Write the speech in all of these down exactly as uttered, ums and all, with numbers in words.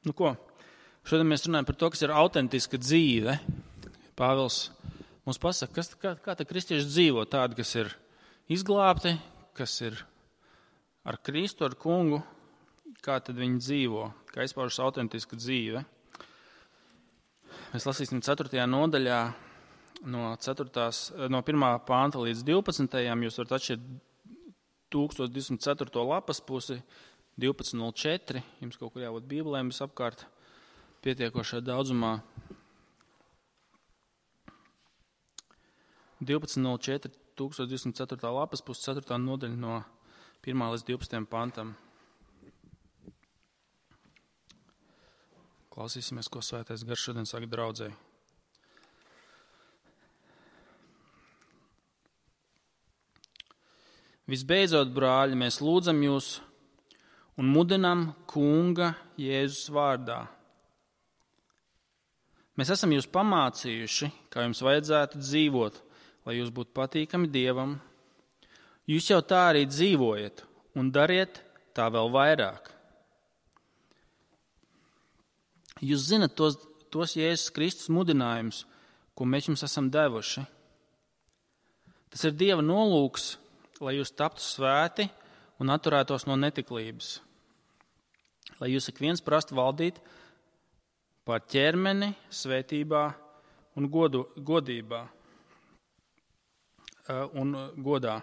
Nu ko, šodien mēs runājam par to, kas ir autentiska dzīve. Pāvils mums pasaka, kas, kā, kā tā kristieši dzīvo, tādi, kas ir izglābti, kas ir ar Kristu, ar kungu, kā tad viņi dzīvo, kā izpaužas autentiska dzīve. Mēs lasīsim ceturtajā nodaļā no, ceturtās, no pirmā panta līdz divpadsmitajam. Jūs varat atšķirt tūkstoš divsimt ceturto lapas pusi, divpadsmit nulle četri. Jums kaut kur jābūt bībelēm visapkārt pietiekošā daudzumā. divpadsmit nulle četri, tūkstoš divsimt ceturtā lapas pusi, ceturtā nodaļa no pirmā līdz divpadsmitajam pantam. Klausīsimies, ko Svētais Gars šodien saka draudzei. Visbeidzot, brāļi, mēs lūdzam jūs un mudinam Kunga Jēzus vārdā. Mēs esam jūs pamācījuši, kā jums vajadzētu dzīvot, lai jūs būtu patīkami Dievam. Jūs jau tā arī dzīvojat un dariet tā vēl vairāk. Jūs zinat tos, tos Jēzus Kristus mudinājumus, ko mēs jums esam devuši. Tas ir Dieva nolūks, lai jūs taptu svēti un atturētos no netiklības. Lai jūs ik viens prastu valdīt pār ķermeni, svētībā un godu, godībā un godā.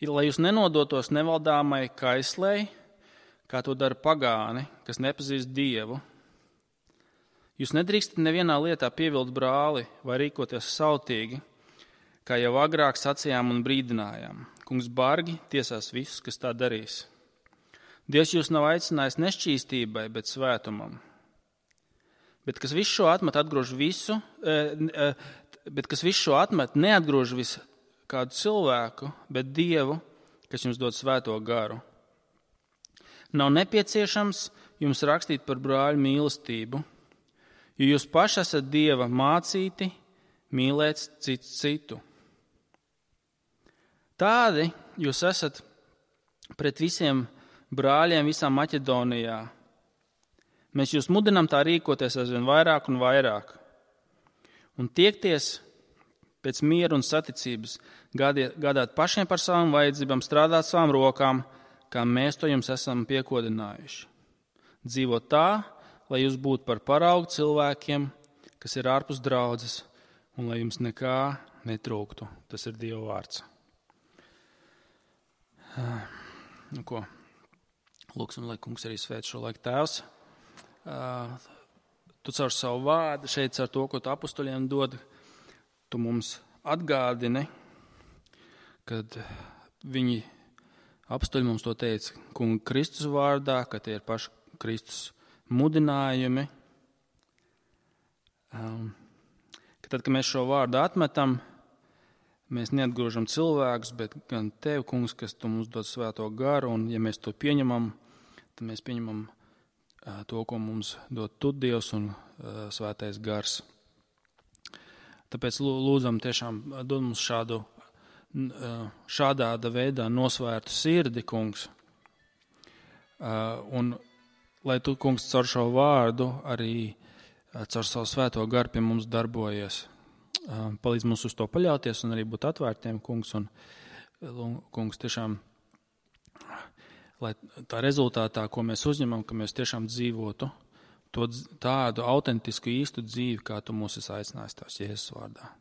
Lai jūs nenodotos nevaldāmai kaislei, kā to dara pagāni, kas nepazīst Dievu. Jūs nedrīkstat nevienā lietā pievilt brāli vai rīkoties sautīgi, kā jau agrāk sacījām un brīdinājām. Kungs bargi tiesās visus, kas tā darīs. Dievs jūs nav aicinājis nešķīstībai, bet svētumam. Bet kas visu šo atmet, atgrož visu, bet kas visu šo atmet, neatgrož visu kādu cilvēku, bet Dievu, kas jums dod svēto garu. Nav nepieciešams jums rakstīt par brāļu mīlestību, jo jūs paši esat Dieva mācīti mīlēt cits citu. Tādi jūs esat pret visiem brāļiem visā Maķedonijā. Mēs jūs mudinām tā rīkoties aizvien vairāk un vairāk. Un tiekties pēc miera un saticības, gādāt, gādāt pašiem par savām vajadzībām, strādāt savām rokām, kā mēs to jums esam piekodinājuši. Dzīvot tā, lai jūs būtu par paraugu cilvēkiem, kas ir ārpus draudzes, un lai jums nekā netrūktu. Tas ir Dieva vārds. Nu ko, lūksim, lai kungs arī svēt šo laiku. Tēvs, tu caur savu vārdu šeit, caur to, ko tu apustuļiem dod, tu mums atgādini, kad viņi apustuļi mums to teica kunga Kristus vārdā, ka tie ir paši Kristus mudinājumi. Um, ka tad, kad mēs šo vārdu atmetam, mēs neatgrožam cilvēkus, bet gan tev, kungs, kas tu mums dod svēto garu, un ja mēs to pieņemam, tad mēs pieņemam uh, to, ko mums dod tu Dievs un uh, svētais gars. Tāpēc lūdzam tiešām dod mums šādu, uh, šādā veidā nosvērtu sirdi, kungs, uh, un lai tu, kungs, caur šo vārdu arī caur savu svēto garu pie mums darbojies. Palīdz mums uz to paļauties un arī būt atvērtiem, kungs, un, kungs, tiešām, lai tā rezultātā, ko mēs uzņemam, ka mēs tiešām dzīvotu to tādu autentisku īstu dzīvi, kā tu mūs esi aicinājis tās Jēzus vārdā.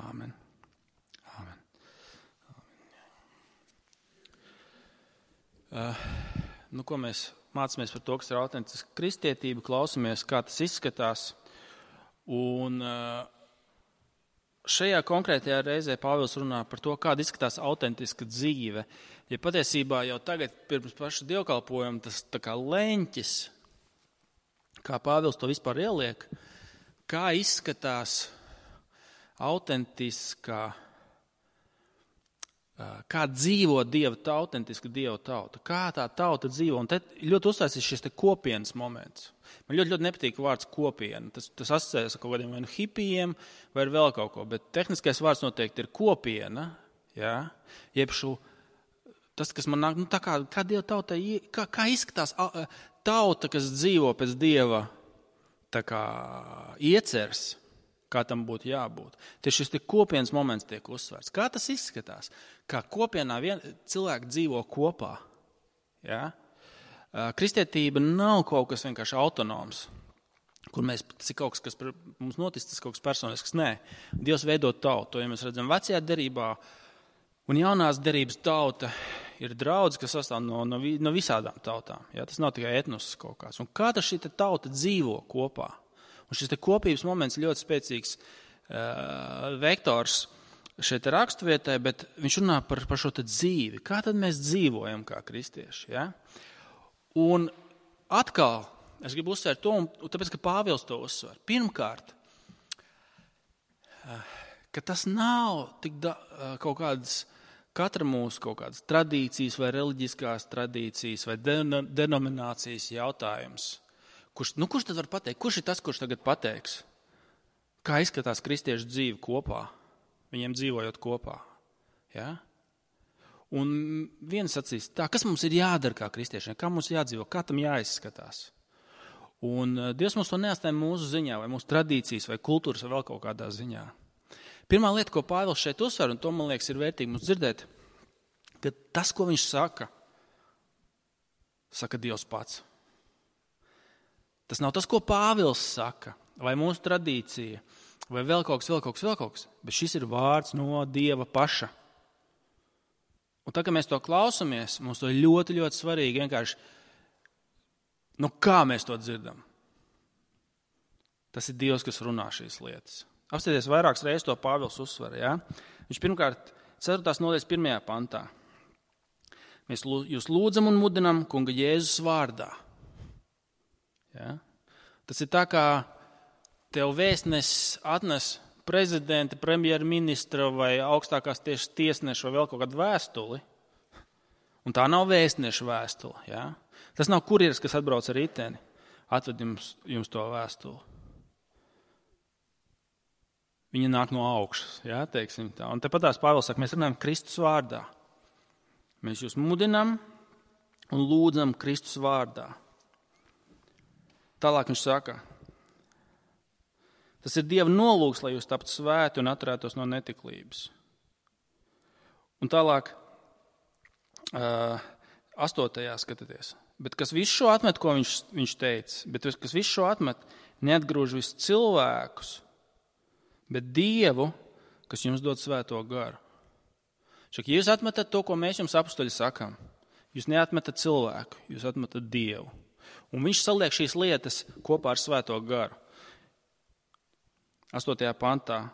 Āmen. Āmen. Uh, nu, ko mēs mācāmies par to, kas ir autentiska kristietība, klausamies, kā tas izskatās. Un šajā konkrētajā reizē Pāvils runā par to, kāda izskatās autentiska dzīve. Ja patiesībā jau tagad pirms paša dievkalpojuma tas tā kā leņķis, kā Pāvils to vispār ieliek, kā izskatās autentiskā, kā dzīvo Dieva tauta, autentiska Dieva tauta, kā tā tauta dzīvo. Un te ļoti uzstāsies šis te kopienas moments. Man ļoti, ļoti nepatīk vārds kopiena. Tas, tas asociējas ar kaut kādiem vai nu hipijiem vai vēl kaut ko, bet tehniskais vārds noteikti ir kopiena, jā, jeb šo, tas, kas man nāk, nu tā kā, kā Dieva tautai, kā, kā izskatās tauta, kas dzīvo pēc Dieva tā kā ieceres, kā tam būtu jābūt. Tieši šis kopienas moments tiek uzsvērts. Kā tas izskatās? Kā kopienā vien, cilvēki dzīvo kopā. Ja? Kristietība nav kaut kas vienkārši autonoms, kur mēs, tas ir kaut kas, kas mums noticis, tas kaut kas personisks. Nē, Dievs veido tautu. To, ja mēs redzam vecajā derībā un jaunās derības tauta ir draudz, kas sastāv no, no, no visādām tautām. Ja? Tas nav tikai etnos kaut kāds. Un kā tas šī tauta dzīvo kopā? Un šis te kopības moments ļoti spēcīgs uh, vektors šeit raksturvietai, bet viņš runā par, par šo te dzīvi. Kā tad mēs dzīvojam kā kristieši? Ja? Un atkal, es gribu uzsvērt to, un, un tāpēc, ka Pāvils to uzsver. Pirmkārt, uh, ka tas nav tik da, uh, kaut kādas, katra mūsu kaut kādas tradīcijas vai reliģiskās tradīcijas vai de, denominācijas jautājums. Kurš, nu, kurš tad var pateikt? Kurš ir tas, kurš tagad pateiks? Kā izskatās kristiešu dzīve kopā? Viņiem dzīvojot kopā. Ja? Un viens sacīs, tā, kas mums ir jādara kā kristiešiem? Kā mums jādzīvo? Kā tam jāizskatās? Un Dievs mums to neatstāja mūsu ziņā, vai mūsu tradīcijas, vai kultūras, vai vēl kaut kādā ziņā. Pirmā lieta, ko Pāvils šeit uzsver, un to, man liekas, ir vērtīgi mums dzirdēt, ka tas, ko viņš saka, saka Dievs pats. Tas nav tas, ko Pāvils saka, vai mūsu tradīcija, vai vēl kaut kas, vēl kaut kas, vēl kaut kas, bet šis ir vārds no Dieva paša. Un tā, ka mēs to klausamies, mums to ir ļoti, ļoti svarīgi vienkārši, nu kā mēs to dzirdam? Tas ir Dievs, kas runā šīs lietas. Apstāties vairākas reizes to Pāvils uzsver, ja? Viņš pirmkārt, ceturtās nodaļas pirmajā pantā. Mēs jūs lūdzam un mudinam Kunga Jēzus vārdā. Ja? Tas ir tā, kā tev vēstnesis atnes prezidenta, premjerministra vai augstākās tieši tiesneša vai vēl kaut kādu vēstuli. Un tā nav vēstneša vēstule. Ja? Tas nav kurjeris, kas atbrauc ar riteni, atved jums, jums to vēstuli. Viņa nāk no augšas, ja, teiksim tā. Un tepat tās Pāvils saka, mēs runājam Kristus vārdā. Mēs jūs mudinam un lūdzam Kristus vārdā. Tālāk viņš saka, tas ir Dieva nolūks, lai jūs taptu svēti un atturētos no netiklības. Un tālāk, uh, astotajā skatāties. Bet kas visu šo atmet, ko viņš, viņš teica, bet kas visu šo atmet, neatgrūž visus cilvēkus, bet Dievu, kas jums dod svēto garu. Šak, ja jūs atmetat to, ko mēs jums apustuļi sakām, jūs neatmetat cilvēku, jūs atmetat Dievu. Un viņš saliek šīs lietas kopā ar svēto garu. Astotajā pantā.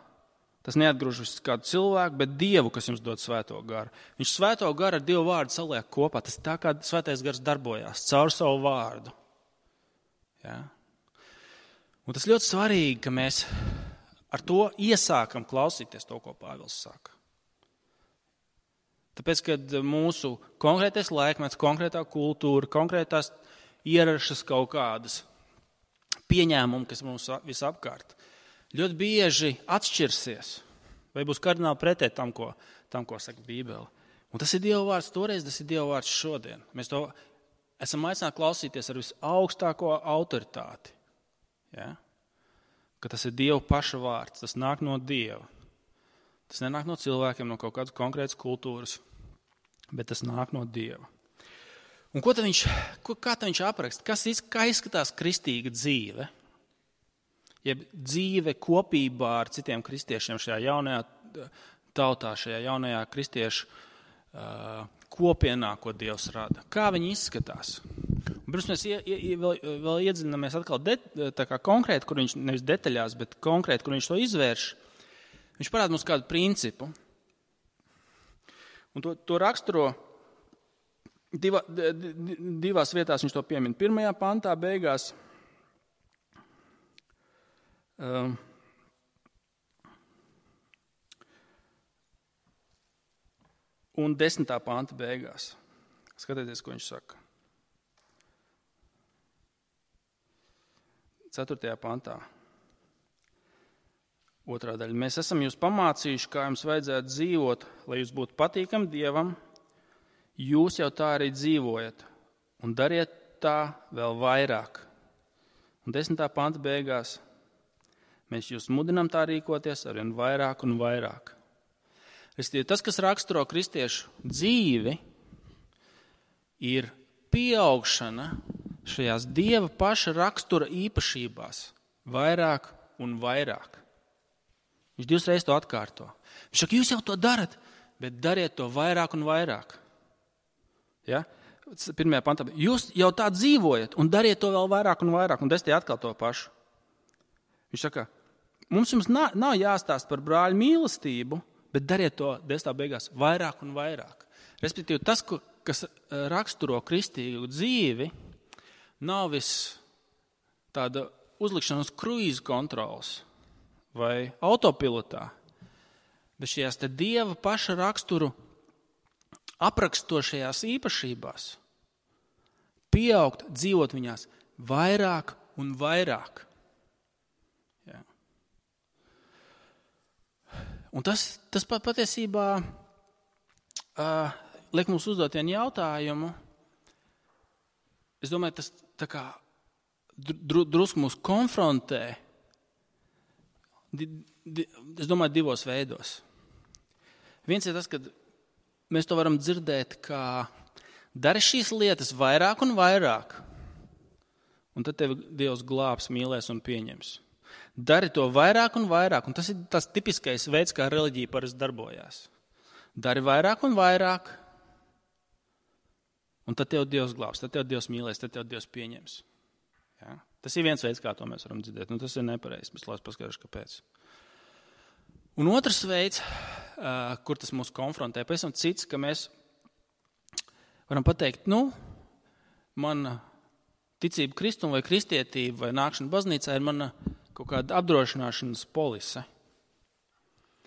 Tas neatgrūž visu kādu cilvēku, bet Dievu, kas jums dod svēto garu. Viņš svēto garu ar Dievu vārdu saliek kopā. Tas tā kā svētais gars darbojās caur savu vārdu. Ja? Un tas ļoti svarīgi, ka mēs ar to iesākam klausīties to, ko Pāvils saka. Tāpēc, kad mūsu konkrētais laikmets, konkrētā kultūra, konkrētās ierašas kaut kādas pieņēmumi, kas mums visapkārt, ļoti bieži atšķirsies, vai būs kardināli pretēji tam, ko, tam, ko saka Bībele. Un tas ir Dieva vārds toreiz, tas ir Dieva vārds šodien. Mēs to esam aicināti klausīties ar visaugstāko autoritāti. Ja? Ka tas ir Dieva paša vārds, tas nāk no Dieva. Tas nenāk no cilvēkiem, no kaut kādas konkrētas kultūras, bet tas nāk no Dieva. Un ko tad viņš, ko, kā tad viņš apraksta? Kas, kā izskatās kristīga dzīve? Jeb dzīve kopībā ar citiem kristiešiem šajā jaunajā tautā, šajā jaunajā kristiešu uh, kopienā, ko Dievs rada. Kā viņi izskatās? Un pirms mēs ie, ie, vēl, vēl iedziļināmies atkal de, tā kā konkrēti, kur viņš nevis detaļās, bet konkrēti, kur viņš to izvērš, viņš parāda mums kādu principu. Un to, to raksturo Diva, divās vietās viņš to piemin. Pirmajā pantā beigās um, un desmitā panta beigās. Skatieties, ko viņš saka. Ceturtajā pantā. Otrā daļa. Mēs esam jūs pamācījuši, kā jums vajadzētu dzīvot, lai jūs būtu patīkami Dievam. Jūs jau tā arī dzīvojat un dariet tā vēl vairāk. Un desmitā panta beigās mēs jūs mudinām tā rīkoties arvien vairāk un vairāk. Tas, kas raksturo kristiešu dzīvi, ir pieaugšana šajās Dieva paša rakstura īpašībās vairāk un vairāk. Viņš divas reizes to atkārto. Viņš saka, jūs jau to darat, bet dariet to vairāk un vairāk. Ja? Pirmajā pantā. Jūs jau tā dzīvojat un dariet to vēl vairāk un vairāk. Un desmitā atkal to pašu. Viņš saka, mums jums nav, nav jāstāst par brāļu mīlestību, bet dariet to desmitā beigās vairāk un vairāk. Respektīvi, tas, kas raksturo kristīgu dzīvi, nav viss tāda uzlikšana uz kruīzu kontrols vai autopilotā, bet šajās te Dieva paša raksturu aprakstošajās īpašībās pieaugt, dzīvot viņās vairāk un vairāk. Jā. Un tas, tas patiesībā uh, liek mums uzdot vienu jautājumu. Es domāju, tas tā kā dru, drusku mūs konfrontē, di, di, es domāju, divos veidos. Viens ir tas, ka mēs to varam dzirdēt, kā dari šīs lietas vairāk un vairāk, un tad tevi Dievs glābs, mīlēs un pieņems. Dari to vairāk un vairāk, un tas ir tas tipiskais veids, kā reliģija parasti darbojās. Dari vairāk un vairāk, un tad tev Dievs glābs, tad tev Dievs mīlēs, tad tev Dievs pieņems. Ja? Tas ir viens veids, kā to mēs varam dzirdēt, un tas ir nepareizi, bet lai es paskatīšu, kāpēc. Un otrs veids, uh, kur tas mūs konfrontē, pavisam cits, ka mēs varam pateikt, nu, mana ticība Kristum vai kristietība vai nākšana baznīcā ir mana kaut kāda apdrošināšanas polise.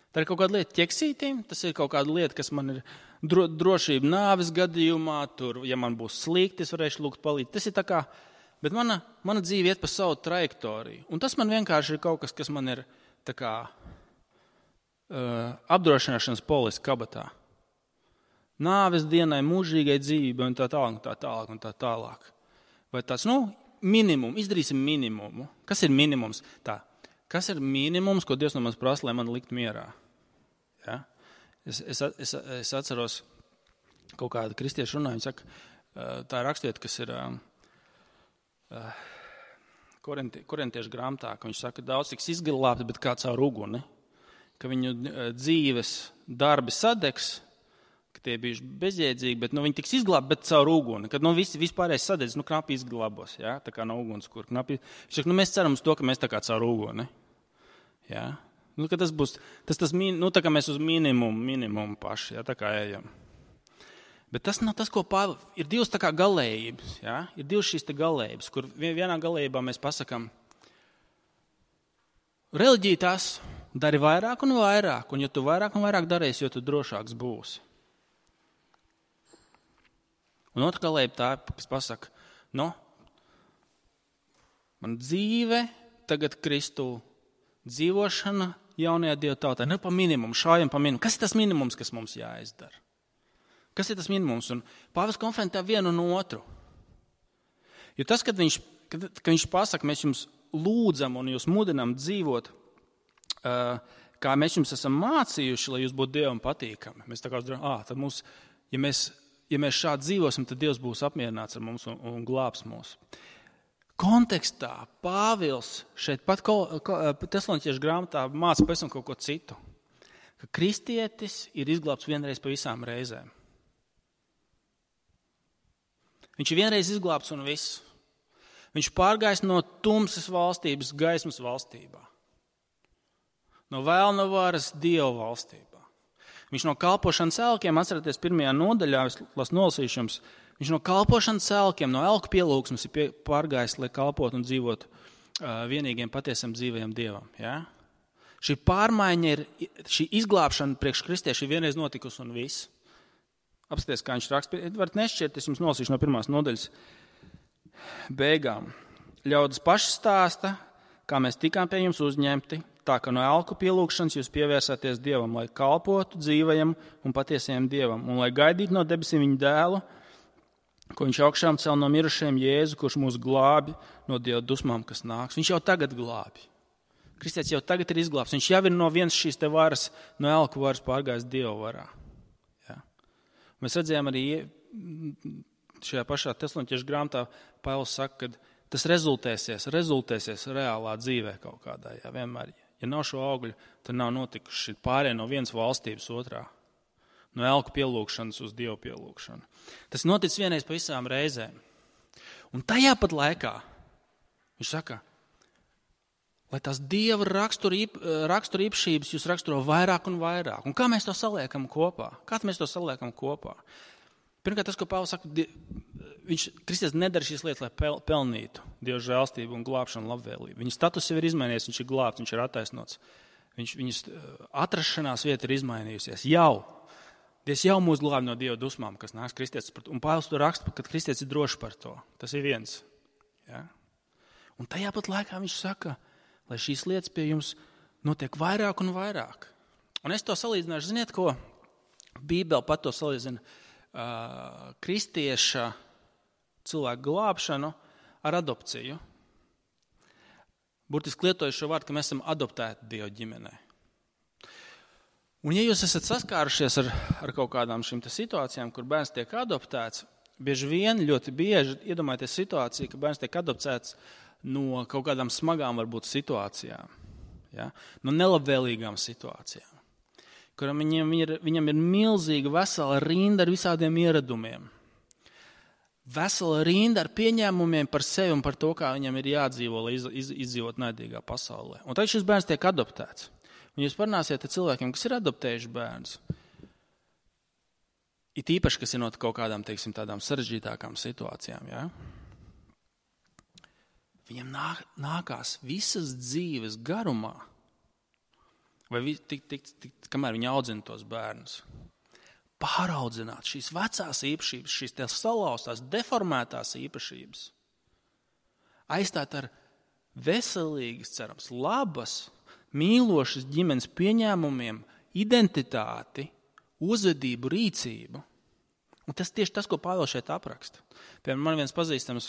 Tā ir kaut kāda lieta ķeksītīm, tas ir kaut kāda lieta, kas man ir dro, drošība nāves gadījumā, tur, ja man būs slikti, es varēšu lūgt palīdzi. Tas ir tā kā, bet mana, mana dzīve iet pa savu trajektoriju. Un tas man vienkārši ir kaut kas, kas man ir tā kā uh, apdrošināšanas polise kabatā. Nāves dienai, mūžīgai dzīvībai un tā tālāk, un tā tālāk, un tā tālāk. Vai tāds, nu, minimum, izdarīsim minimumu. Kas ir minimums? Tā. Kas ir minimums, ko Dievs no manis prasa, lai man likt mierā? Ja? Es, es, es, es atceros kaut kādu kristiešu runāju, viņi saka, tā ir rakstvieta, kas ir uh, korinti, korintiešu grāmatā, ka viņš saka, daudz tiks izglābti, bet kā caur uguni, ka viņu dzīves darbi sadegs, ka tie bijuši bezjēdzīgi, bet nu, viņi tiks izglābti, bet caur uguni, kad nu, visi, vispārējais sadedz, nu, knapi izglābos, ja? Tā kā no uguns, kur knapi. Viņš saka, nu, mēs ceram uz to, ka mēs tā kā caur uguni. Ja? Nu, ka tas būs, tas, tas, nu, tā kā mēs uz minimumu, minimumu paši, ja? Tā kā ejam. Bet tas nav tas, ko Pāvils, ir divas tā kā galējības, ja? Ir divas šīs te galējības, kur vienā galējībā mēs pasakam, reliģija tas dari vairāk un vairāk, un ja tu vairāk un vairāk darīsi, jo tu drošāks būsi. Un otra galējība tā, kas pasaka, no, man dzīve tagad Kristu dzīvošana jaunajā Dieva tautā, ne pa minimumu, šājam pa minimumu. Kas ir tas minimums, kas mums jāizdara? Kas ir tas minimums? Un Pāvils konfrontē vienu un otru. Jo tas, kad viņš, kad, kad viņš pasaka, mēs jums lūdzam un jūs mudinam dzīvot, uh, kā mēs jums esam mācījuši, lai jūs būtu Dievam patīkami. Mēs tā kā uzdarām, ā, tad mums, ja mēs Ja mēs šādi dzīvosim, tad Dievs būs apmierināts ar mums un, un glābs mūs. Kontekstā Pāvils šeit pat Tesaloniķiešu grāmatā māca pavisam kaut ko citu. Ka kristietis ir izglābts vienreiz pa visām reizēm. Viņš ir vienreiz izglābts un viss. Viņš pārgājis no tumsas valstības gaismas valstībā. No vēlna varas Dieva valstībā. Viņš no kalpošanas elkiem, atceraties pirmajā nodaļā, es lasu nolasīšu jums, viņš no kalpošanas elkiem, no elku pielūgsmes ir pie, pārgājis, lai kalpot un dzīvot uh, vienīgiem patiesam dzīvajam Dievam. Ja? Šī pārmaiņa ir, šī izglābšana priekš kristieši ir vienreiz notikusi un viss. Apskaties, kā viņš raksta. Varat nešķiet, es jums nolasīšu no pirmās nodaļas beigām. Ļaudis paši stāsta, kā mēs tikām pie jums uzņemti, tā ka no elku pielūgšanas jūs pievērsāties Dievam, lai kalpotu dzīvajam un patiesajam Dievam, un lai gaidītu no debesīm viņu dēlu, ko viņš augšām cel no mirušiem Jēzu, kurš mūs glābi no Dieva dusmām, kas nāks. Viņš jau tagad glābi. Kristietis jau tagad ir izglābts. Viņš jau ir no vienas šīs te varas, no elku varas pārgājis Dieva varā. Ja? Mēs redzējām arī šajā pašā Tesaloniķiešu grāmatā, Pāvils saka, ka tas rezultēsies, rezultēsies reālā dzīvē kaut kādā. Ja? Vienmēr, ja nav šo augļu, tad nav notikuši pārējie no vienas valstības otrā. No elku pielūgšanas uz Dievu pielūgšanu. Tas notic vienreiz pa visām reizēm. Un tajā pat laikā viņš saka, lai tās Dieva raksturīpašības jūs raksturo vairāk un vairāk. Un kā mēs to saliekam kopā? Kā mēs to saliekam kopā? Pirmkārt, tas, ko Pāvils saka, viņš, Kristus nedara šīs lietas, lai pel, pelnītu Dieva žēlstību un glābšanu labvēlību. Viņa status jau ir izmainījies, viņš ir glābts, viņš ir attaisnots. Viņš, viņas atrašanās vieta ir izmainījusies jau. Dievs jau mūs glābi no Dieva dusmām, kas nāks kristietis. Un Pāvils to raksta, ka kristietis ir drošs par to. Tas ir viens. Ja? Un tajā pat laikā viņš saka, lai šīs lietas pie jums notiek vairāk un vairāk. Un es to salīdzināšu, ziniet ko? Bībele pat to salīdzina uh, kristieša cilvēku glābšanu ar adopciju. Burtiski lietoju šo vārdu, ka mēs esam adoptēti Dieva ģimenē. Un ja jūs esat saskārušies ar, ar kaut kādām šīm situācijām, kur bērns tiek adoptēts, bieži vien, ļoti bieži iedomājieties situāciju, ka bērns tiek adoptēts no kaut kādām smagām varbūt situācijām, ja? No nelabvēlīgām situācijām, kuram viņam ir, viņam ir milzīga vesela rinda ar visādiem ieradumiem, vesela rinda ar pieņēmumiem par sevi un par to, kā viņam ir jādzīvo, lai iz, iz, izdzīvot naidīgā pasaulē. Un tad šis bērns tiek adoptēts. Un jūs parunāsiet ar cilvēkiem, kas ir adoptējuši bērnus, it īpaši, kas ir no kaut kādām, teiksim, tādām sarežģītākām situācijām, ja? Viņam nāk, nākās visas dzīves garumā, vai vi, tik, tik, tik, kamēr viņi audzina tos bērnus, pāraudzināt šīs vecās īpašības, šīs tās salauztās, deformētās īpašības, aizstāt ar veselīgas, cerams, labas, mīlošas ģimenes pieņēmumiem, identitāti, uzvedību, rīcību. Un tas tieši tas, ko Pāvils šeit apraksta. Piemēram, man viens pazīstams,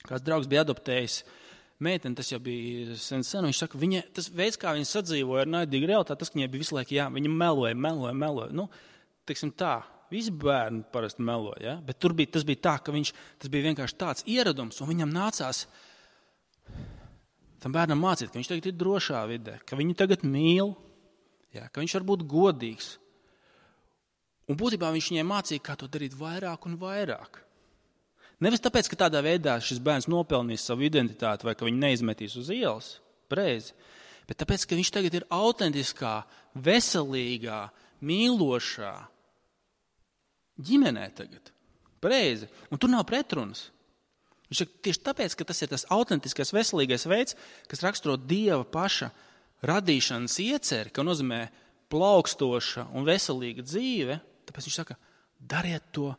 kāds draugs bija adoptējis meiteni, tas jau bija sen sen, viņš saka, viņa, tas veids, kā viņa sadzīvoja ar naidīgu realitāti, tas, ka viņai bija visu laiku, jā, viņa meloja, meloja, meloja. Nu, teiksim tā, visi bērni parasti meloja, ja? Bet tur bija, tas bija tā, ka viņš, tas bija vienkārši tāds ieradums, un viņam nācās tam bērnam mācīt, ka viņš tagad ir drošā vidē, ka viņu tagad mīl, ja, ka viņš var būt godīgs. Un būtībā viņš viņai mācīja, kā to darīt vairāk un vairāk. Nevis tāpēc, ka tādā veidā šis bērns nopelnīs savu identitāti vai ka viņu neizmetīs uz ielas, preizi, bet tāpēc, ka viņš tagad ir autentiskā, veselīgā, mīlošā ģimenē tagad, preizi. Un tur nav pretrunas. Viņš saka, tieši tāpēc, ka tas ir tas autentiskais, veselīgais veids, kas raksturo Dieva paša radīšanas ieceri, ka nozīmē plaukstoša un veselīga dzīve, tāpēc viņš saka, dariet to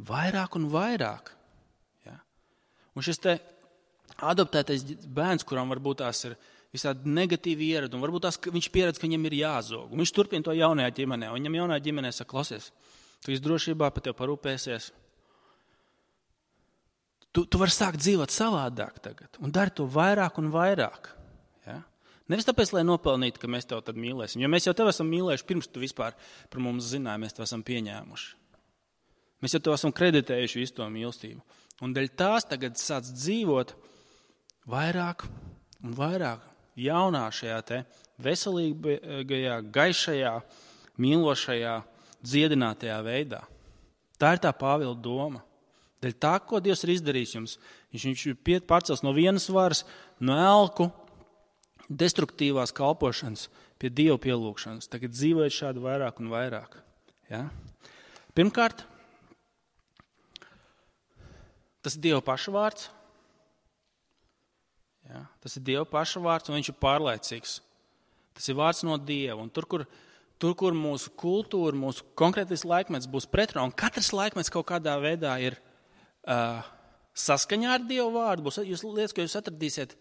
vairāk un vairāk. Ja? Un šis te adoptētais bērns, kuram varbūt tās ir visādi negatīvi ieradumi, varbūt tās viņš pieredz, ka viņam ir jāzog. Un viņš turpina to jaunajā ģimenē, un viņam jaunajā ģimenē saka, klausies, tu esi drošībā, par tevi parūpēsies. Tu, tu vari sākt dzīvot savādāk tagad un dari to vairāk un vairāk. Ja? Nevis tāpēc, lai nopelnītu, ka mēs tev tad mīlēsim, jo mēs jau tev esam mīlējuši pirms tu vispār par mums zināji, mēs tev esam pieņēmuši. Mēs jau tev esam kreditējuši visu to mīlestību. Un dēļ tās tagad sāc dzīvot vairāk un vairāk jaunā šajā te veselīgajā, gaišajā, mīlošajā, dziedinātajā veidā. Tā ir tā Pāvila doma. Dēļ tā, ko Dievs ir izdarījis jums, viņš ir pārcels no vienas varas, no elku, destruktīvās kalpošanas pie Dieva pielūgšanas. Tagad dzīvojiet šādi vairāk un vairāk. Ja? Pirmkārt, tas ir Dieva paša vārds. Ja? Tas ir Dieva paša vārds, un viņš ir pārlaicīgs. Tas ir vārds no Dieva. Un tur, kur, tur, kur mūsu kultūra, mūsu konkrētais laikmets būs pretrunā, un katrs laikmets kaut kādā veidā ir Uh, saskaņā ar Dievu vārdu, būs jūs lietas, ko jūs atradīsiet,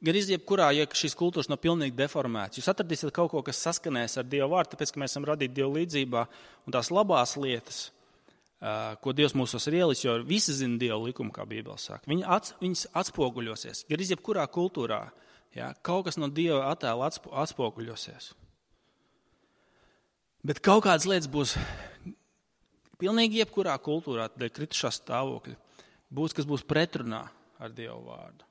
gan izjebkurā, ja šīs kultūras nav pilnīgi deformētas. Jūs atradīsiet kaut ko, kas saskanēs ar Dievu vārdu, tāpēc, ka mēs esam radīti Dievu līdzībā, un tās labās lietas, ko Dievs mūsos ir ielis, jo visi zina Dieva likumu, kā Bībele saka. Viņi ats, viņas atspoguļosies. Gan arī jebkurā kultūrā, ja, kaut kas no Dieva attēla atspo, atspoguļosies. Bet kaut kādas lietas būs pilnīgi jebkurā kultūrā, dēļ kritušā stāvokļa, būs, kas būs pretrunā ar Dieva vārdu.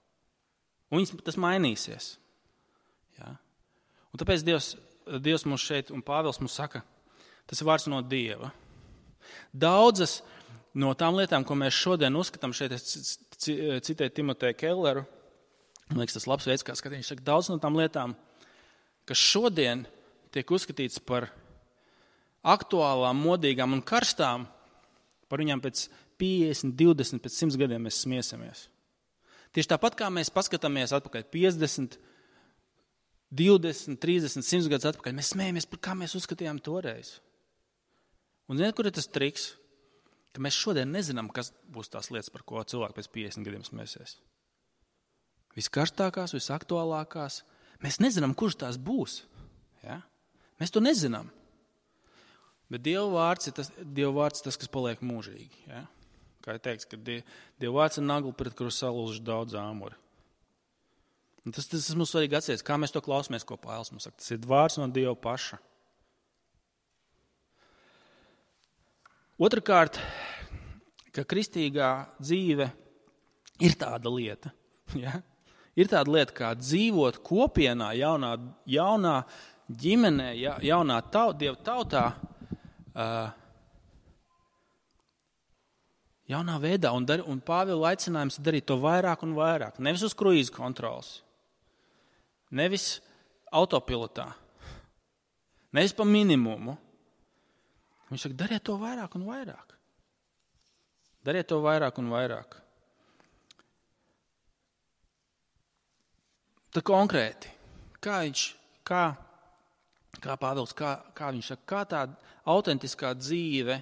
Un viņas, tas mainīsies. Ja. Un tāpēc Dievs, Dievs mums šeit, un Pāvils mums saka, tas ir vārds no Dieva. Daudzas no tām lietām, ko mēs šodien uzskatām, šeit es citēju Timoteju Kelleru, man liekas, tas labs veids, kā skatīt, viņš saka, daudz no tām lietām, kas šodien tiek uzskatīts par aktuālām, modīgām un karstām, par viņām pēc piecdesmit, divdesmit, pēc simts gadiem mēs smiesimies. Tieši tāpat, kā mēs paskatāmies atpakaļ piecdesmit, divdesmit, trīsdesmit, simts gadus atpakaļ, mēs smējamies, par kā mēs uzskatījām toreiz. Un ziniet, kur ir tas triks? Ka mēs šodien nezinām, kas būs tās lietas, par ko cilvēki pēc piecdesmit gadiem smēsies. Viskarstākās, visaktuālākās. Mēs nezinām, kurš tās būs. Ja? Mēs to nezinām. Bet Dieva vārds ir tas, Dieva vārds tas kas paliek mūžīgi. Ja? Kā ir teikts, ka Dieva vārds ir nagla, pret kuru salūzuši daudz āmuri. Un tas, tas, tas mums svarīgi atcerēties, kā mēs to klausamies, ko Pāvils mums saka. Tas ir vārds no Dieva paša. Otrakārt, ka kristīgā dzīve ir tāda lieta. Ja? Ir tāda lieta, kā dzīvot kopienā, jaunā, jaunā ģimenē, ja, jaunā taut, Dieva tautā, uh, jaunā veidā. Un, dar, un Pāvila aicinājums darīt to vairāk un vairāk. Nevis uz kruīzu kontrols, nevis autopilotā, nevis pa minimumu. Viņš saka, dariet to vairāk un vairāk. Dariet to vairāk un vairāk. Tā konkrēti, kā viņš, kā, kā Pāvils, kā, kā viņš saka, kā tā autentiskā dzīve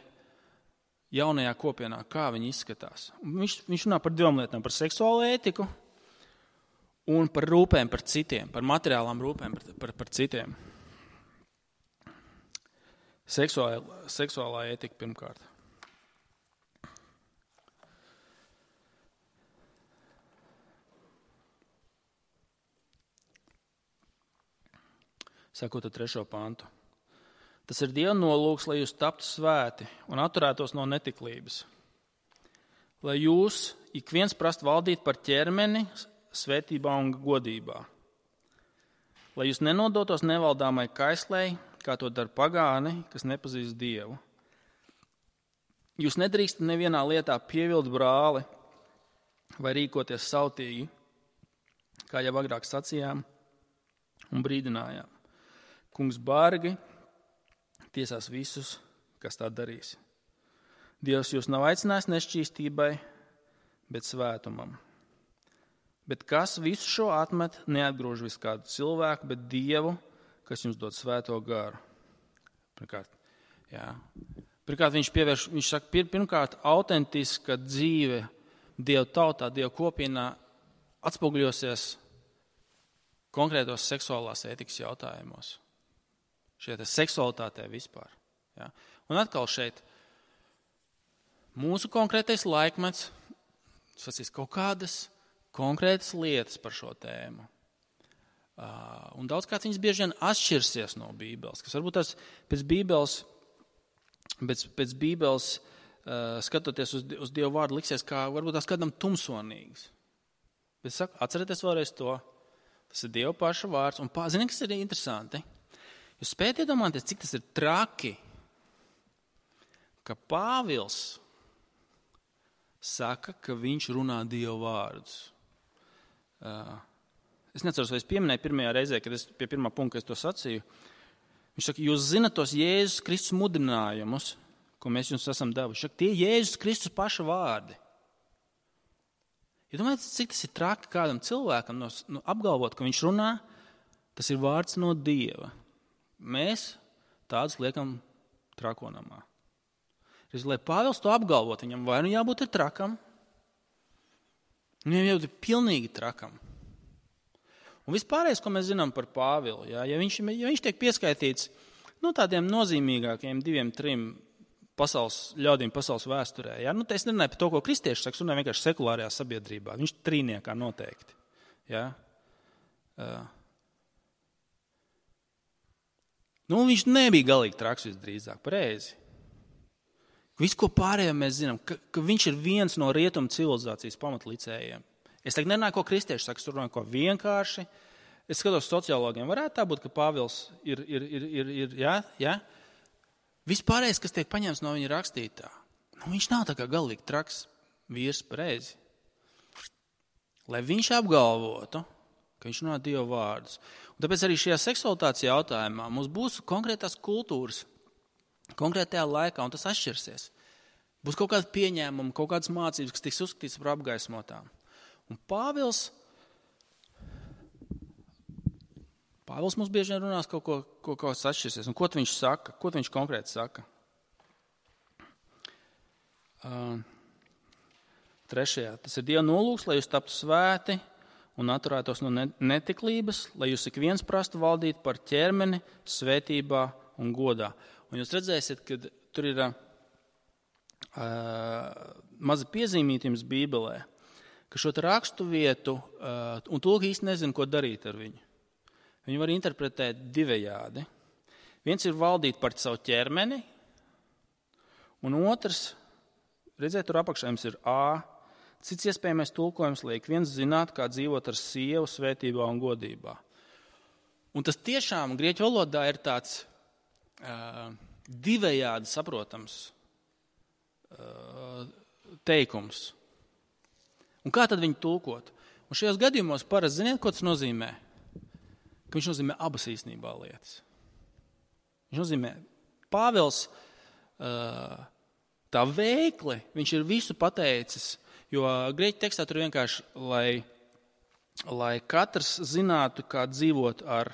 jaunajā kopienā, kā viņi izskatās. Viņš, viņš runā par divām lietām, par seksuālo ētiku un par rūpēm par citiem, par materiālām rūpēm par, par, par citiem. Seksuālā, seksuālā ētika pirmkārt. Sakot ar trešo pantu. Tas ir Dieva nolūks, lai jūs taptu svēti un atturētos no netiklības. Lai jūs ik viens prast valdīt par ķermeni svētībā un godībā. Lai jūs nenodotos nevaldāmai kaislei, kā to dara pagāni, kas nepazīst Dievu. Jūs nedrīkstat nevienā lietā pievilt brāli vai rīkoties sautīgi, kā jau agrāk sacījām un brīdinājām. Kungs bargi tiesās visus, kas tā darīs. Dievs jūs nav aicinājis nešķīstībai, bet svētumam. Bet kas visu šo atmet, neatgrūž visu kādu cilvēku, bet Dievu, kas jums dod svēto garu. Pirmkārt, jā. Pirmkārt viņš pievērš, viņš saka, pir, pirmkārt, autentiska dzīve Dieva tautā, Dieva kopienā atspoguļosies konkrētos seksuālās ētikas jautājumos. Šeit seksualitātē vispār. Jā. Un atkal šeit mūsu konkrētais laikmets, sacīs kaut kādas konkrētas lietas par šo tēmu. Uh, un daudzkārt viņas bieži vien atšķirsies no Bībeles, kas varbūt tās pēc Bībeles, pēc, pēc Bībeles uh, skatoties uz, uz Dievu vārdu liksies, kā varbūt tās kādam tumsonīgs. Bet saku, atcerieties vēlreiz to, tas ir Dieva paša vārds, un zini, kas ir interesanti? Jūs spējat iedomāties, cik tas ir traki, ka Pāvils saka, ka viņš runā Dieva vārdus. Uh, Es neceros, vai es pieminēju pirmajā reizē, kad es pie pirmā punkta es to sacīju. Viņš saka, jūs zinat tos Jēzus Kristus mudinājumus, ko mēs jums esam devuši. Saka, tie Jēzus Kristus paša vārdi. Ja domājat, cik tas ir traki kādam cilvēkam no, no, apgalvot, ka viņš runā, tas ir vārds no Dieva. Mēs tādus liekam trakonamā. Lai Pāvils to apgalvot, viņam vai nu jābūt ir trakam, viņam jābūt ir pilnīgi trakam. Un vispārējais, ko mēs zinām par Pāvilu, ja, ja, viņš, ja viņš tiek pieskaitīts nu, tādiem nozīmīgākiem diviem, trim pasaules ļaudīm pasaules vēsturē. Ja? Nu, es nerunāju par to, ko kristieši saka, runāju vienkārši sekulārajā sabiedrībā. Viņš trīniekā noteikti. Ja? Uh. Nu, viņš nebija galīgi traks visdrīzāk, pareizi. Visu, ko pārējām mēs zinām, ka, ka viņš ir viens no rietumu civilizācijas pamatlicējiem. Es tagad nerunāju, ko kristieši saka, es runāju, ko vienkārši. Es skatos sociologiem, varētu tā būt, ka Pāvils ir, ir, ir, ir, ir jā, jā. Vispārējais, kas tiek paņemts no viņa rakstītā, nu, viņš nav tā kā galīgi traks vīrs, pareizi. Lai viņš apgalvotu, ka viņš runā Dieva vārdus. Un tāpēc arī šajā seksualitātes jautājumā mums būs konkrētās kultūras, konkrētajā laikā, un tas atšķirsies. Būs kaut kāda pieņēmuma, kaut kādas mācības, kas tiks uzskatīts par apgaismotām. Un Pāvils, Pāvils mums bieži vien runās kaut ko, ko kaut kas atšķirsies. Un ko viņš saka? Ko viņš konkrēti saka? Uh, trešajā. Tas ir Dieva nolūks, lai jūs taptu svēti un atturētos no netiklības, lai jūs ik viens prastu valdīt par ķermeni, svētībā un godā. Un jūs redzēsiet, ka tur ir uh, maza piezīmīta jums Bībelē, ka šo rakstu vietu, uh, un tulki īsti nezinu, ko darīt ar viņu. Viņu var interpretēt divējādi. Viens ir valdīt par savu ķermeni, un otrs, redziet, tur apakšā jums ir A. Cits iespējamais tulkojums liek viens zināt, kā dzīvot ar sievu svētībā un godībā. Un tas tiešām grieķu valodā ir tāds uh, divējādi saprotams uh, teikums. Un kā tad viņu tulkot? Un šajos gadījumos parasti ziniet, ko tas nozīmē? Ka viņš nozīmē abas īstenībā lietas. Viņš nozīmē, Pāvils uh, tā veikli, viņš ir visu pateicis, jo grieķu tekstā tur vienkārši, lai, lai katrs zinātu, kā dzīvot ar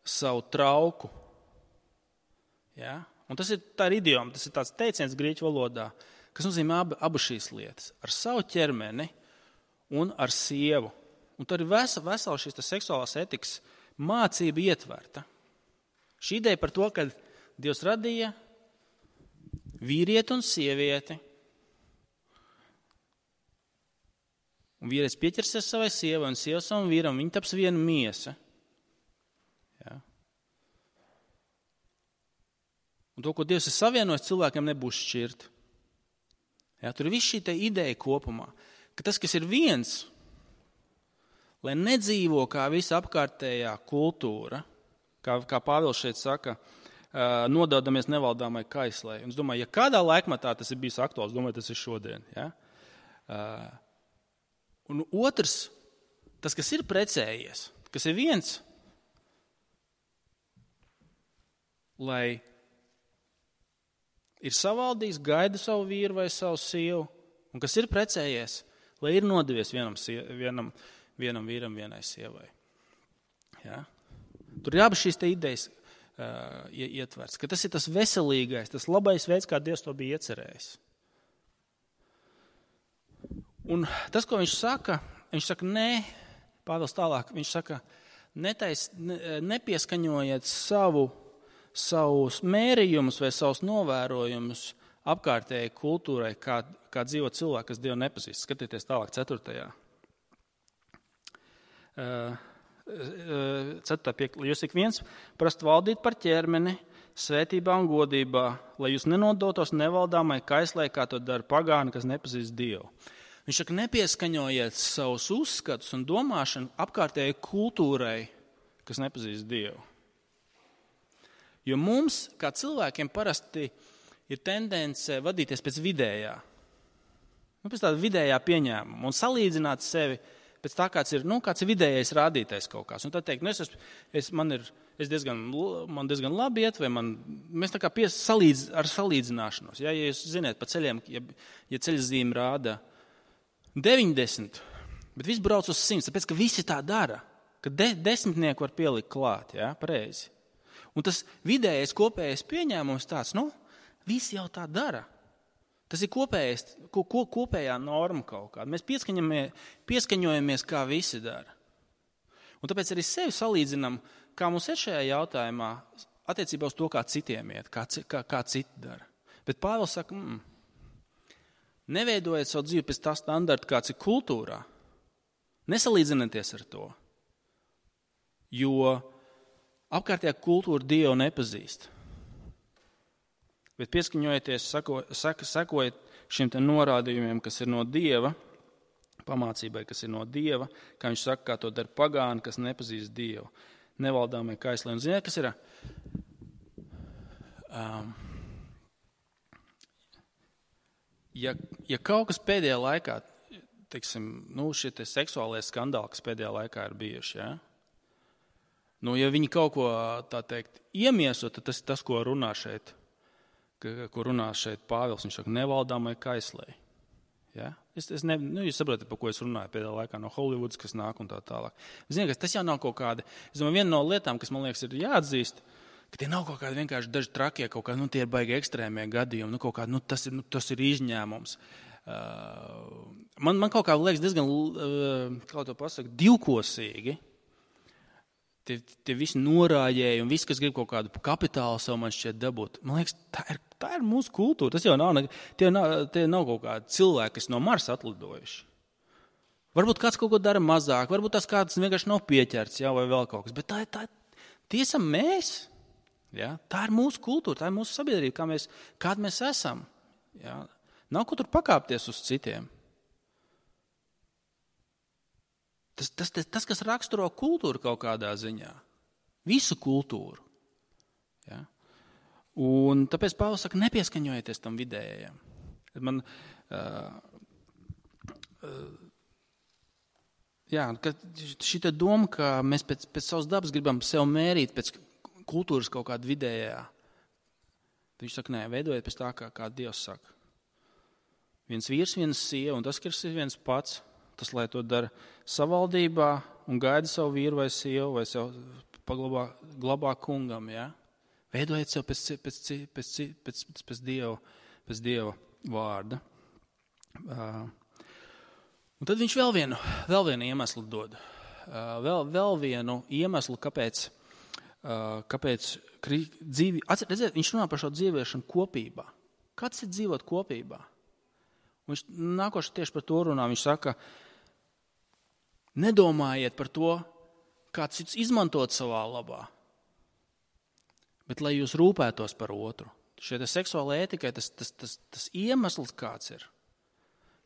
savu trauku. Ja? Un tas ir tā ir idioma, tas ir tāds teiciens grieķu valodā, kas nozīmē ab, abas šīs lietas. Ar savu ķermeni un ar sievu. Un tur ir vesela, vesela šīs seksuālās etikas mācība ietverta. Šī ideja par to, ka Dievs radīja vīrieti un sievieti. Un vīrietis pieķersies savai sievai un sieva savam vīram, viņi taps viena miesa. Ja? Un to, ko Dievs ir savienojis, cilvēkiem nebūs šķirt. Ja? Tur ir viss šī ideja kopumā, ka tas, kas ir viens, lai nedzīvo kā visa apkārtējā kultūra, kā, kā Pāvils šeit saka, nododamies nevaldāmai kaislei. Un es domāju, ja kādā laikmatā tas ir bijis aktuāls, domāju, tas ir šodien. Ja? Un otrs, tas, kas ir precējies, kas ir viens, lai ir savaldījis, gaida savu vīru vai savu sievu, un kas ir precējies, lai ir nodevies vienam, vienam vienam vīram, vienai sievai. Ja? Tur ir abas šīs te idejas uh, ietverts, ka tas ir tas veselīgais, tas labais veids, kā Dievs to bija iecerējis. Un tas, ko viņš saka, viņš saka, nē, Pāvils tālāk, viņš saka, netais, ne, nepieskaņojiet savu, savus mērījumus vai savus novērojumus apkārtējai kultūrai, kā, kā dzīvo cilvēki, kas Dievu nepazīst. Skatieties tālāk ceturtajā. Ceturtā piekta. Jūs ik viens prastu valdīt par ķermeni, svētībā un godībā, lai jūs nenodotos nevaldāmai kaislai, kā to dara pagāni, kas nepazīst Dievu. Viņš saka, nepieskaņojiet savus uzskatus un domāšanu apkārtējai kultūrai, kas nepazīst Dievu. Jo mums, kā cilvēkiem, parasti ir tendence vadīties pēc vidējā. Nu, pēc tāda vidējā pieņēmuma un salīdzināt sevi pēc tā, kāds ir, nu, kāds ir vidējais rādītais kaut kāds. Un tad teikt, nu, es, es, man ir es diezgan, man diezgan labi iet, vai man, mēs tā kā pies, salīdz, ar salīdzināšanos. Ja, ja jūs ziniet, pa ceļiem, ja, ja ceļzīme rāda deviņdesmit, bet viss brauc uz simts, tāpēc, ka visi tā dara, ka de, desmitnieku var pielikt klāt, ja, pareizi. Un tas vidējais kopējais pieņēmums tāds, nu, visi jau tā dara. Tas ir kopējais, ko, ko, kopējā norma kaut kāda. Mēs pieskaņojamies, kā visi dara. Un tāpēc arī sevi salīdzinām, kā mums ir šajā jautājumā attiecībā uz to, kā citiem iet, kā, kā, kā citi dara. Bet Pāvils saka, mm, neveidojiet savu dzīvi pēc tā standarta, kāds ir kultūrā. Nesalīdzinieties ar to. Jo apkārtējā kultūra Dievu nepazīst. Bet pieskaņojieties, sako, saka, sekojiet šiem te norādījumiem, kas ir no Dieva, pamācībai, kas ir no Dieva, kā viņš saka, kā to dara pagāni, kas nepazīst Dievu. Nevaldāmie kaisli. Un ziniet, kas ir? Um, ja, ja kaut kas pēdējā laikā, teiksim, nu, šie te seksuālie skandāli, kas pēdējā laikā ir bijuši, ja? Nu, ja viņi kaut ko, tā teikt, iemieso, tad tas ir tas, ko runā šeit, ko runā šeit Pāvils. Viņš saka, nevaldāmai kaislei. Ja? Es, es ne, nu, jūs saprotat, par ko es runāju pēdējā laikā no Hollywoods, kas nāk un tā tālāk. Ziniet, tas jau nav kaut kāda, es domāju, viena no lietām, kas man liekas ir jāatzīst, ka tie nav kaut kādi vienkārši daži trakie, kaut kādi, nu, tie ir baigi ekstrēmie gadījumi, nu, kaut kādi, nu, tas ir, nu, tas ir izņēmums. Uh, man, man kaut kā liekas diezgan, uh, kā to pasaka, divkosīgi. Tie, tie visi norājēji un viss, kas grib kaut kādu kapitālu savu man šķiet dabūt. Man liekas, tā ir, tā ir mūsu kultūra. Tas jau nav, tie nav, tie nav kaut kādi cilvēki, kas no Marsa atlidojuši. Varbūt kāds kaut ko dara mazāk, varbūt tas kāds vienkārši nav pieķerts, jā, vai vēl kaut kas. Bet tā, tā, tie esam mēs. Jā? Tā ir mūsu kultūra, tā ir mūsu sabiedrība, kā mēs, kāda mēs esam. Jā? Nav ko tur pakāpties uz citiem. Tas, tas, tas, tas, kas raksturo kultūru kaut kādā ziņā. Visu kultūru. Ja? Un tāpēc Pāvils saka, nepieskaņojieties tam vidējiem. Man, uh, uh, jā, šī doma, ka mēs pēc, pēc savas dabas gribam sev mērīt pēc kultūras kaut kāda vidējā. Viņš saka, nē, veidojiet pēc tā, kā, kā Dievs saka. Viens vīrs, viens sieva, un tas, kas ir viens pats, tas, lai to dara savaldībā un gaida savu vīru vai sievu vai sev paglabā, glabā kungam, ja? Veidojiet sev pēc, pēc, pēc, pēc, pēc, pēc, dieva, pēc Dieva vārda. Uh, un tad viņš vēl vienu, vēl vienu iemeslu dod. Uh, vēl, vēl vienu iemeslu, kāpēc, uh, kāpēc dzīvi, redziet, viņš runā par šo dzīviešanu kopībā. Kāds ir dzīvot kopībā? Un viņš nākoši tieši par to runā. Viņš saka, nedomājiet par to, kāds cits izmantot savā labā, bet lai jūs rūpētos par otru. Šie seksuāla ētikai tas, tas, tas, tas iemesls kāds ir,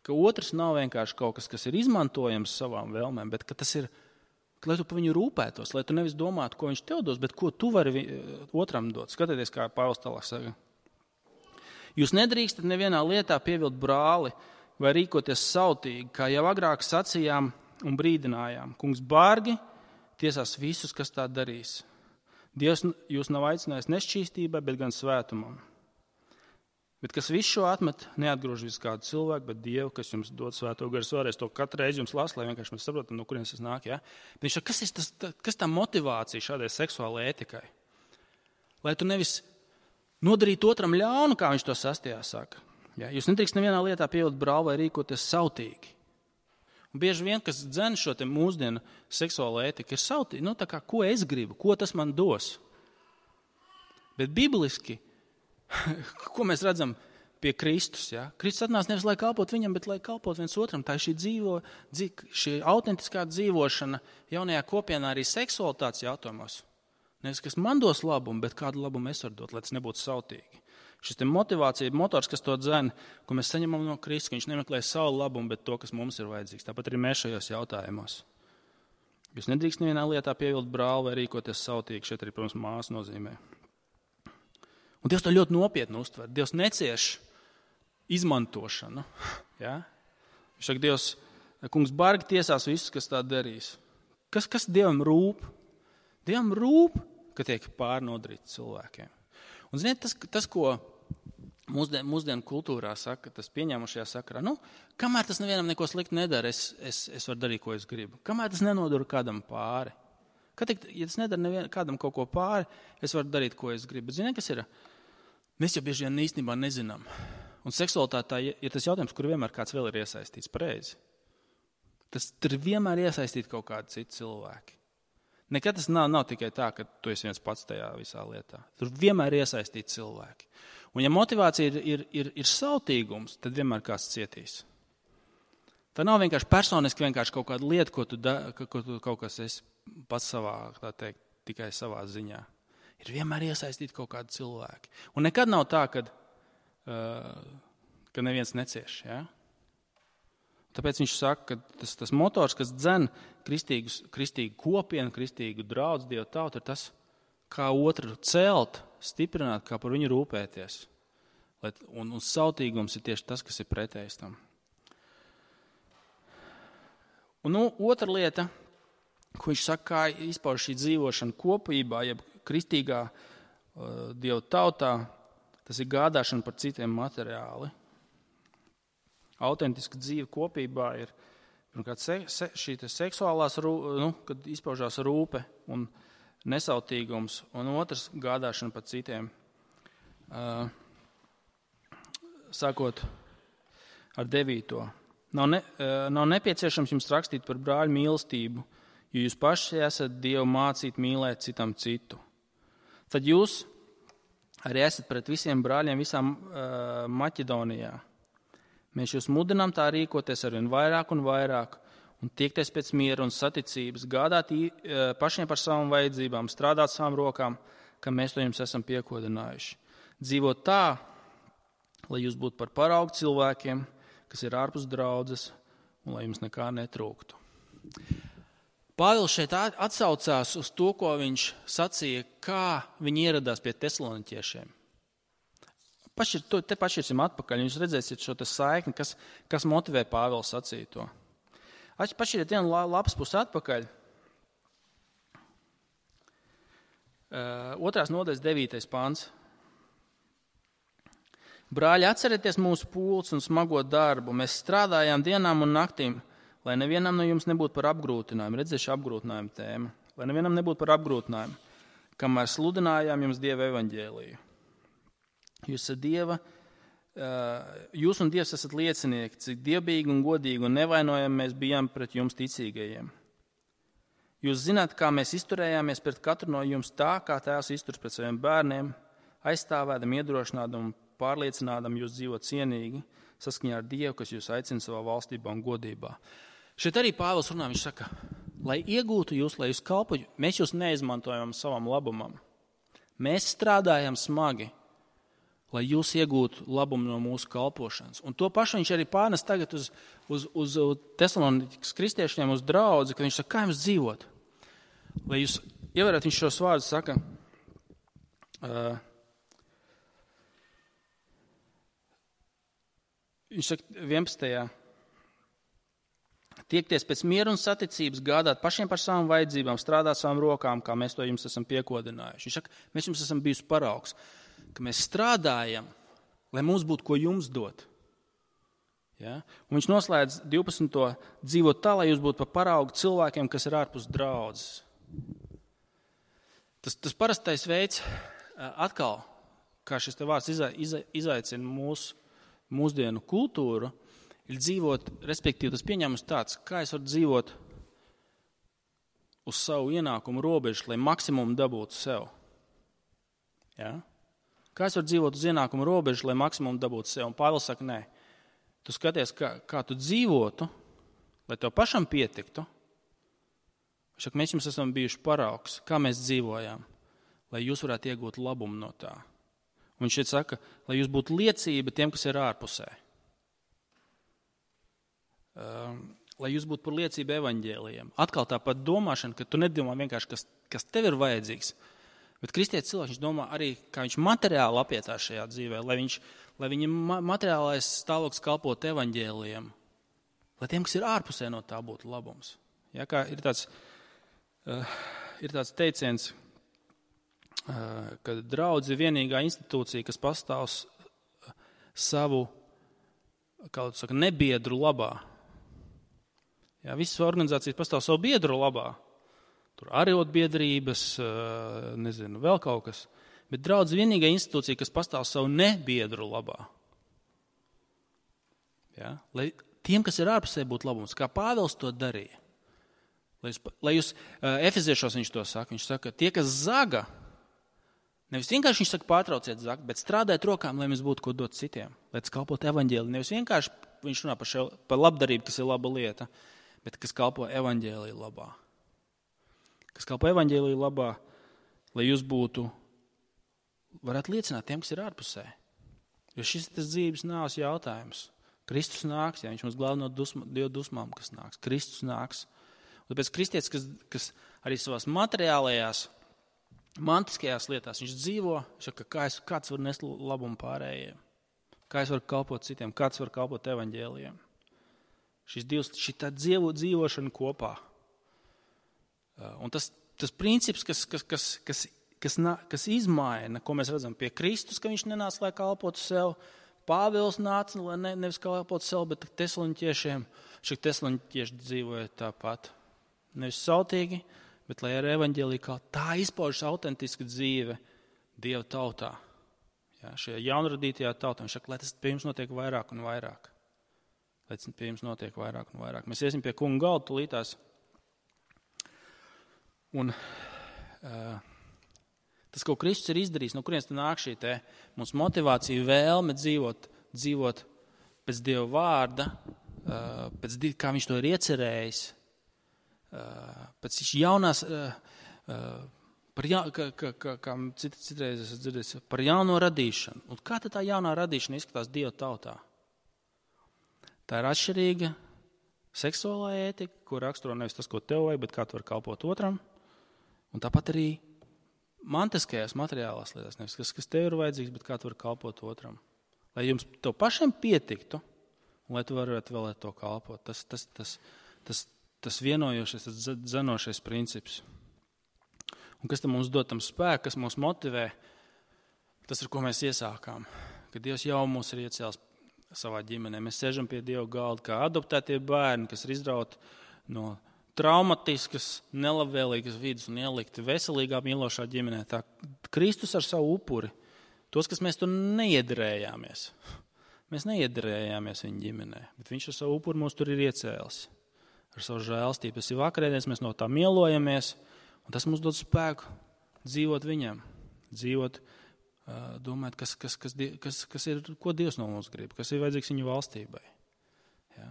ka otrs nav vienkārši kaut kas, kas ir izmantojams savām vēlmēm, bet ka tas ir, ka, lai tu par viņu rūpētos, lai tu nevis domātu, ko viņš tev dos, bet ko tu vari otram dot. Skatieties, kā Pāvils tālāk saka. Jūs nedrīkstat nevienā lietā pievilt brāli vai rīkoties sautīgi, kā jau agrāk sacījām un brīdinājām. Kungs bargi tiesās visus, kas tā darīs. Dievs jūs nav aicinājis nešķīstībai, bet gan svētumam. Bet kas visu šo atmet, neatgrūž visu kādu cilvēku, bet Dievu, kas jums dod svēto garu. Vēlreiz to katru reizi jums lasu, lai vienkārši mēs saprotam, no kurienes tas nāk. Ja? Bet viņš saka, kas ir tas, kas tā motivācija šādai seksuālai ētikai? Lai tu nevis nodarītu otram ļaunu, kā viņš to sastajā saka. Ja? Jūs nedrīkst nevienā lietā pievilkt brāli vai rīkoties sautīgi. Un bieži vien, kas dzen šo te mūsdienu seksuālo ētiku, ir sautīgi. Nu, tā kā, ko es gribu, ko tas man dos? Bet bibliski, ko mēs redzam pie Kristus? Ja? Kristus atnāca nevis, lai kalpot viņam, bet lai kalpot viens otram. Tā ir šī, dzīvo, šī autentiskā dzīvošana jaunajā kopienā arī seksualitātes jautājumos. Nevis, kas man dos labumu, bet kādu labumu es varu dot, lai tas nebūtu sautīgi. Šis te motivācija, motors, kas to dzen, ko mēs saņemam no Kristus, ka viņš nemeklē savu labumu, bet to, kas mums ir vajadzīgs. Tāpat arī mēs šajos jautājumos. Jūs nedrīkst nevienā lietā pievilkt brāli vai rīkoties sautīgi. Šeit arī, protams, māsa nozīmē. Un Dievs to ļoti nopietni uztver. Dievs necieš izmantošanu. Ja? Viņš saka, Dievs, kungs bargi tiesās visus, kas tā darīs. Kas, kas Dievam rūp? Dievam rūp, ka tiek pārnodarīts cilvēkiem. Un ziniet, tas, tas ko mūsdien, mūsdienu kultūrā saka, tas pieņēmušajā sakarā, nu, kamēr tas nevienam neko sliktu nedara, es, es, es varu darīt, ko es gribu. Kamēr tas nenodara kādam pāri. Kad, ja tas nedara nevien, kādam kaut ko pāri, es varu darīt, ko es gribu. Bet ziniet, kas ir? Mēs jau bieži vien īstenībā nezinām. Un seksualitātē ir tas jautājums, kur vienmēr kāds vēl ir iesaistīts pareizi. Tas tur vienmēr iesaistīt kaut kādi citi cilvēki. Nekad tas nav, nav tikai tā, ka tu esi viens pats tajā visā lietā. Tur vienmēr ir iesaistīti cilvēki. Un ja motivācija ir, ir, ir, ir sautīgums, tad vienmēr kāds cietīs. Tā nav vienkārši personiski vienkārši kaut kāda lieta, ko tu, da, ko tu kaut kas esi pats savā, tā teikt, tikai savā ziņā. Ir vienmēr iesaistīti kaut kādi cilvēki. Un nekad nav tā, kad, uh, ka neviens necieš. Ja? Tāpēc viņš saka, ka tas, tas motors, kas dzen kristīgus, kristīgu kopienu, kristīgu draudz Dievu tautu, ir tas, kā otru celt, stiprināt, kā par viņu rūpēties. Un, un sautīgums ir tieši tas, kas ir pretējs tam. Un nu, otra lieta, ko viņš saka, kā izpauž šī dzīvošana kopībā, jeb kristīgā uh, Dievu tautā, tas ir gādāšana par citiem materiāli. Autentiska dzīve kopībā ir pirmkārt se, se, šī seksuālās, nu, kad izpaužās rūpe un nesautīgums, un otrs gādāšana par citiem. Uh, sākot ar devīto. Nav, ne, uh, nav nepieciešams jums rakstīt par brāļu mīlestību, jo jūs paši esat Dievu mācīt mīlēt citam citu. Tad jūs arī esat pret visiem brāļiem visām uh, Maķedonijā. Mēs jūs mudinām tā rīkoties arvien vairāk un vairāk un tiekties pēc miera un saticības, gādāt pašiem par savām vajadzībām, strādāt savām rokām, ka mēs to jums esam piekodinājuši. Dzīvot tā, lai jūs būtu par paraugu cilvēkiem, kas ir ārpus draudzes un lai jums nekā netrūktu. Pāvils šeit atsaucās uz to, ko viņš sacīja, kā viņi ieradās pie tesaloniķiešiem. Pašir, te paširsim atpakaļ, jūs redzēsiet šo saikni, kas, kas motivē Pāvils sacīt to. Paširiet vienu lapas pusi atpakaļ. Uh, otrās nodaļas devītais pants. Brāļi, atcerieties mūsu pūles un smago darbu. Mēs strādājām dienām un naktīm, lai nevienam no jums nebūtu par apgrūtinājumu. Redziet, šī apgrūtinājuma tēma. Lai nevienam nebūtu par apgrūtinājumu, kamēr sludinājām jums Dieva evaņģēliju. Jūs esat Dieva, jūs un Dievs esat liecinieki, cik dievbīgi un godīgi un nevainojami mēs bijām pret jums ticīgajiem. Jūs zināt, kā mēs izturējāmies pret katru no jums tā, kā tēvs izturas pret saviem bērniem, aizstāvēdam, iedrošinādam un pārliecinādam jūs dzīvot cienīgi, saskaņā ar Dievu, kas jūs aicina savā valstībā un godībā. Šeit arī Pāvils runā, viņš saka, lai iegūtu jūs, lai jūs kalpotu, mēs jūs neizmantojam savam labumam. Mēs strādājam smagi, lai jūs iegūtu labumu no mūsu kalpošanas. Un to pašu viņš arī pārnes tagad uz, uz, uz Tesalonikas kristiešiem, uz draudzi, kad viņš saka, kā jums dzīvot? Lai jūs ievērat, viņš šos vārdus saka, uh, viņš saka vienpadsmitajā tiekties pēc miera un saticības, gādāt pašiem par savām vajadzībām, strādāt savām rokām, kā mēs to jums esam piekodinājuši. Viņš saka, mēs jums esam bijusi paraugs, ka mēs strādājam, lai mums būtu ko jums dot. Ja? Un viņš noslēdz divpadsmito dzīvot tā, lai jūs būtu par paraugu cilvēkiem, kas ir ārpus draudzes. Tas, tas parastais veids, atkal, kā šis te vārds iza, iza, izaicina mūsu mūsdienu kultūru, ir dzīvot, respektīvi tas pieņēmums tāds, kā es varu dzīvot uz savu ienākumu robežu, lai maksimumu dabūtu sev. Ja? Kā es varu dzīvot uz ienākumu robežu, lai maksimumu dabūtu sev? Un Pāvils saka, nē, tu skaties, kā, kā tu dzīvotu, lai tev pašam pietiktu. Viņš saka, mēs jums esam bijuši paraugs, kā mēs dzīvojām, lai jūs varētu iegūt labumu no tā. Un viņš šeit saka, lai jūs būtu liecība tiem, kas ir ārpusē. Um, lai jūs būtu par liecību evaņģēlijiem. Atkal tāpat domāšana, ka tu nedomā vienkārši, kas, kas tev ir vajadzīgs, bet kristietis cilvēks, viņš domā arī, kā viņš materiāli apietās šajā dzīvē, lai, viņš, lai viņam materiālais stāvoklis kalpot evaņģēlijiem, lai tiem, kas ir ārpusē, no tā būtu labums. Ja, kā ir tāds, uh, ir tāds teiciens, uh, ka draudz ir vienīgā institūcija, kas pastāv savu, kā tu saka, nebiedru labā. Ja, visas organizācijas pastāv savu biedru labā. Tur arotbiedrības, nezinu, vēl kaut kas. Bet draudz vienīgā institūcija, kas pastāv savu nebiedru labā. Ja? Lai tiem, kas ir ārpusē, būtu labums, kā Pāvils to darīja. Lai jūs, lai jūs uh, efeziešos viņš to saka. Viņš saka, tie, kas zaga, nevis vienkārši viņš saka, pārtrauciet zagt, bet strādājiet rokām, lai mēs būtu ko dot citiem. Lai tas kalpot evaņģēliju. Nevis vienkārši viņš runā par, šo, par labdarību, kas ir laba lieta, bet kas kalpo evaņģēliju labā. Kas kalpo evaņģēliju labā, lai jūs būtu, varētu liecināt tiem, kas ir ārpusē. Jo šis ir tas dzīves nāves jautājums. Kristus nāks, ja viņš mums glāb no dusma, Dieva dusmām, kas nāks. Kristus nāks. Un tāpēc kristietis, kas, kas arī savās materiālajās, mantiskajās lietās, viņš dzīvo, viņš saka, kā es, kāds var nest labumu pārējiem, kā es varu kalpot citiem, kāds var kalpot evaņģēlijiem. Šis divs, šī tā dzīvo, dzīvošana kopā. Un tas, tas princips, kas, kas, kas, kas, kas, kas izmaina, ko mēs redzam pie Kristus, ka viņš nenāca, lai kalpotu sev, Pāvils nāca, lai ne, nevis kalpotu sev, bet tesaloniķiešiem, šie tesaloniķieši dzīvoja tāpat. Nevis sautīgi, bet lai ar evaņģēliju kā tā izpaužas autentiska dzīve Dieva tautā. Jā, šajā jaunradītajā tautā. Viņš saka, lai tas pie jums notiek vairāk un vairāk. Lai tas pie jums notiek vairāk un vairāk. Mēs iesim pie kunga galda tulītās. Un uh, tas, ko Kristus ir izdarījis, no kurienes tā nāk šī te mums motivācija, vēlme dzīvot, dzīvot pēc Dieva vārda, uh, pēc, kā viņš to ir iecerējis, uh, pēc jaunās, uh, uh, par ja, kā, kā, kā, kā cit, citreiz esat dzirdējis, par jauno radīšanu. Un kā tad tā jaunā radīšana izskatās Dieva tautā? Tā ir atšķirīga seksuālā ētika, ko raksturo nevis tas, ko tev vajag, bet kā tu var kalpot otram. Un tāpat arī mantiskajās materiālās lietās, nevis kas, kas tev ir vajadzīgs, bet kā tu vari kalpot otram. Lai jums to pašiem pietiktu, un lai tu varētu vēl to kalpot. Tas, tas, tas, tas, tas vienojošais, tas dzenošais princips. Un kas tam mums dod tam spēku, kas mūs motivē, tas ir, ko mēs iesākām. Kad Dievs jau mūs ir iecēlis savā ģimenē. Mēs sēžam pie Dieva galda kā adoptētie bērni, kas ir izrauti no traumatiskas, nelabvēlīgas vidas un ielikti veselīgā, mīlošā ģimenē. Tā Kristus ar savu upuri, tos, kas mēs tur neiederējāmies. Mēs neiederējāmies viņa ģimenē, bet viņš ar savu upuri mūs tur ir iecēlis. Ar savu žēlstību. Tas ir vakarēdiens, mēs no tā mielojamies, un tas mums dod spēku dzīvot viņam. Dzīvot, domāt, kas, kas, kas, kas, kas ir, ko Dievs no mums grib, kas ir vajadzīgs viņa valstībai. Jā.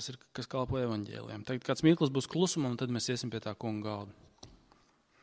Kas, ir, kas kalpo evaņģēlijam. Tagad kāds mirklis būs klusumam, un tad mēs iesim pie tā kunga galda.